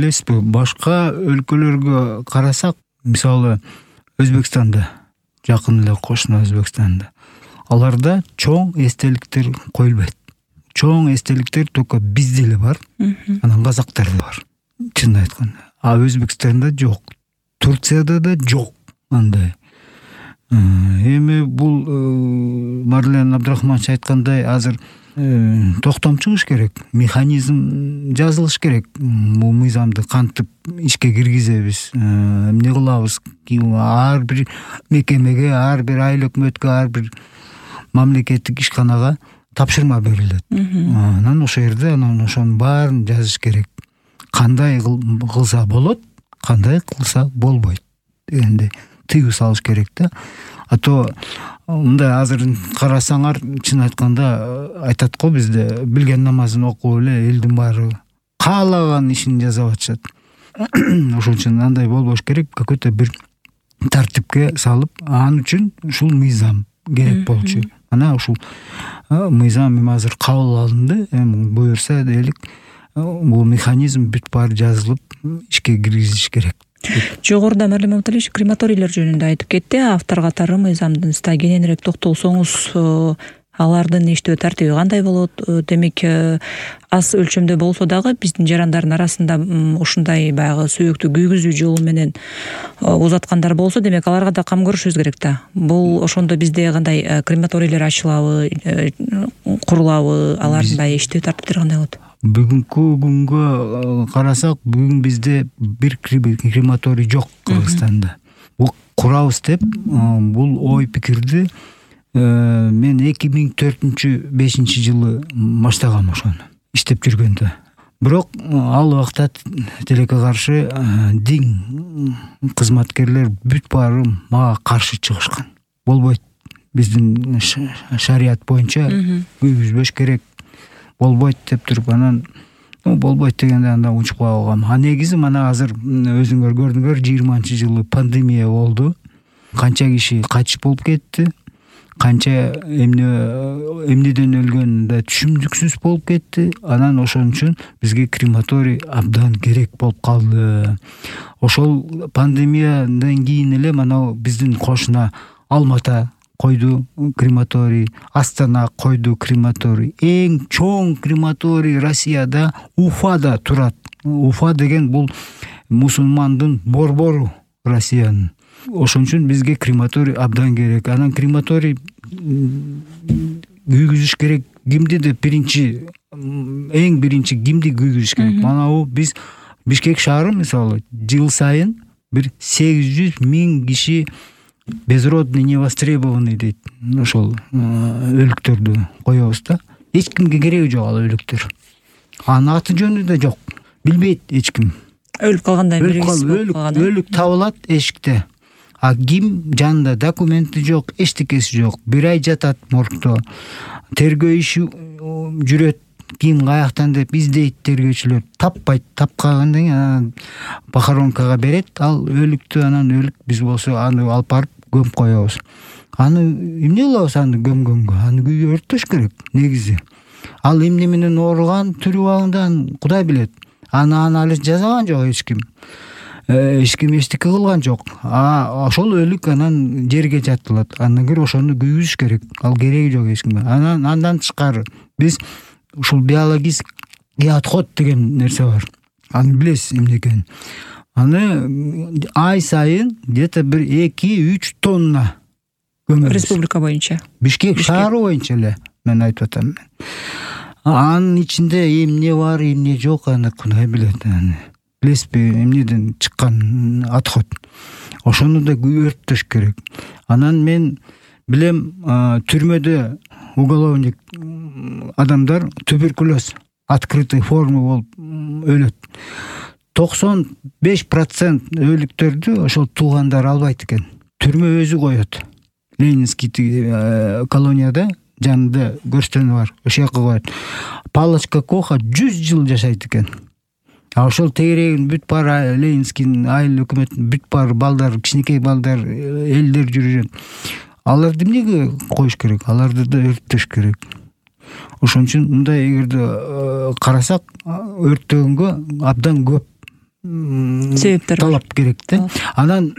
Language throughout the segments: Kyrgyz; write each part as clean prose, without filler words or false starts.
билесизби, башка өлкөлөргө карасак, мисалы Өзбекстанда, жакын эле кошуна Өзбекстанда, аларда чоң эстеликтер коюлбайт. Чоң эстеликтер только бизде эле бар, анан казактарда бар. Чынын айтканда. А Өзбекстанда жок. Турцияда да жок андай. Эми бул Марлен Абдрахманович айткандай, азыр токтом чыгыш керек, механизм жазылыш керек. Бул мыйзамды кантип ишке киргизебиз, эмне кылабыз? Ар бир мекемеге, ар бир айыл өкмөткө, ар бир мамлекеттик ишканага тапшырма берилет. Анан ошол жерде ошонун баарын жазыш керек. Кандай кылса болот, кандай кылса болбойт дегенде тыюу салыш керек да. А то мындай азыр карасаңар, чын айтканда айтат го бизде, билген намазын окуп эле элдин баары каалаган ишин жасап атышат. Ошон үчүн андай болбош керек, какой-то бир тартипке салып, ал үчүн ушул мыйзам керек болчу. Ана ушул мыйзам эми азыр кабыл алынды, эми буюрса дейлик, бул механизм бүт баары жазылып ишке киргизиш керек. Жогоруда Марлен Маматалиевич крематорийлер жөнүндө айтып кетти. Автор катары мыйзамдын ста кененирээк токтолсоңуз, алардын иштөө тартиби кандай болот? Демек, аз өлчөмдө болсо дагы биздин жарандардын арасында ушундай баягы сөөктү күйгүзүү жолу менен узаткандар болсо, демек аларга да кам көрүшүбүз керек да. Бул ошондо бизде кандай крематорийлер ачылабы, курулабы, алардын иштөө тартиптери кандай болот? Бүгүнкү күнгө карасак, бүгүн бизде бир крематорий жок Кыргызстанда. Бул курабыз деп, бул ой пикирди мен 2004-5 жылы баштагам ошону иштеп жүргөндө. Бирок ал убакта тилекке каршы дин кызматкерлер бүт баары мага каршы чыгышкан. Болбойт, биздин шарият боюнча күйгүзбөш керек, болбойт деп туруп, анан болбойт дегенде анда унчуп калгам. А негизи мана азыр өзүңөр көрдүңөр, 20-жылы пандемия болду. Канча киши кайтыш болуп кетти, канча эмнеден өлгөн да түшүмдүксүз болуп кетти. Анан ошон үчүн бизге крематорий абдан керек болуп калды. Ошол пандемиядан кийин эле мана биздин кошуна Алмата койду крематорий, Астана койду крематорий. Эң чоң крематорий Россияда Уфада турат. Уфа деген бул мусулмандын борбору Россиянын. Ошон үчүн бизге крематорий абдан керек. Анан крематорий күйгүзүш керек. Кимди деп эң биринчи кимди күйгүзүш керек? Мана биз Бишкек шаары мисалы жыл сайын бир 800.000 киши безродный, невостребованный дейт. Ошол өлүктөрдү коебуз да. Эч кимге кереги жок ал өлүктөр. Анын аты жөнү да жок. Билбейт эч ким. Өлүп калгандай белгисиз болуп калган. Өлүк табылат эшикте. А ким жанында документи жок, эчтекеси жок. Бир ай жатат моргдо. Тергөө иши жүрөт. Ким каяктан деп издейт тергөөчүлөр. Таппайт. Тапкандан кийин похоронкага берет. Ал өлүктү, анан өлүк биз болсо аны алып барып көмүп коебуз. Аны эмне кылабыз аны көмгөнгө? Аны өрттөш керек негизи. Ал эмне менен ооруган, түрүп алгандан Кудай билет. Аны анализ жасаган жок эч ким. Эч ким эчтеке кылган жок. Ошол өлүк анан жерге жатылат. Андан кийин ошону күйгүзүш керек. Ал кереги жок эч кимге. Андан тышкары биз ушул биологический отход деген нерсе бар. Аны билесиз эмне экенин. Аны ай сайын где-то бир 2-3 тонна көмөбүз. Республика боюнча. Бишкек шаары боюнча эле мен айтып атам. Анын ичинде эмне бар, эмне жок, аны Кудай билет. Билесизби, эмнеден чыккан отход. Ошону да өрттөш керек. Анан мен билем, түрмөдө уголовник адамдар туберкулез открытый форма болуп өлөт. 95% өлүктөрдү ошол туугандар албайт экен. Түрмө өзү коет. Ленинский колонияда жанында көрстөнү бар. Ошол жака коет. Палочка Коха 100 жыл жашайт экен. А ошол тегерегин бүт баары Ленинский айыл өкмөт бүт баары балдар, кичинекей балдар, элдер жүрүшөт. Аларды эмнеге коюш керек? Аларды да өрттөш керек. Ошон үчүн мындай эгерде карасак, өрттөгөнгө абдан көп себептер талап керек да. Анан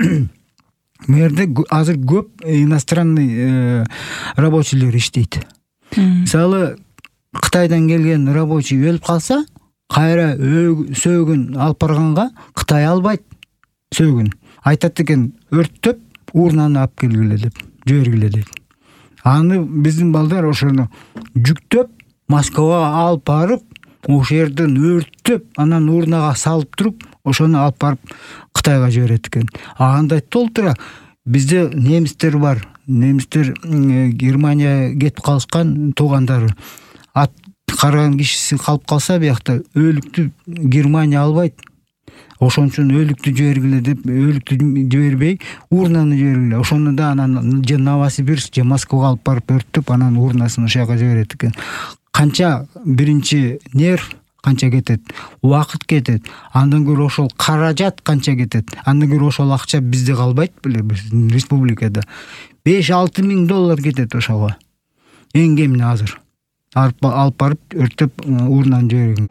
мэрде азыр көп иностранный рабочийлер иштейт. Мисалы Кытайдан келген рабочий өлүп калса, кайра сөөгүн алып барганга Кытай албайт сөөгүн. Айтат экен, өрттөп урнаны алып келгиле деп, жибергиле дейт. Аны биздин балдар ошону жүктөп Москвага алып барып, ошол жерден өрттөп, анан урнага салып туруп, ошону алып барып Кытайга жиберет экен. Андай толтура бизде немистер бар. Немистер Германия кетип калышкан туугандары. Ат карган кишиси калып калса, биякта өлүктү Германия албайт. Ошон үчүн өлүктү жибергиле деп, өлүктү жибербей, урнаны жибергиле. Ошону да анан же Новосибирск, же Москвага алып барып өрттөп, анан урнасын ошол жака жиберет экен. Канча биринчи нерв канча кетет, убакыт кетет, андан көрө ошол каражат канча кетет, андан көрө ошол акча бизде калбайт беле, биздин республикада. $5-6 миң кетет ошого. Эң кемине азыр. Алып барып өрттөп урнаны жиберген.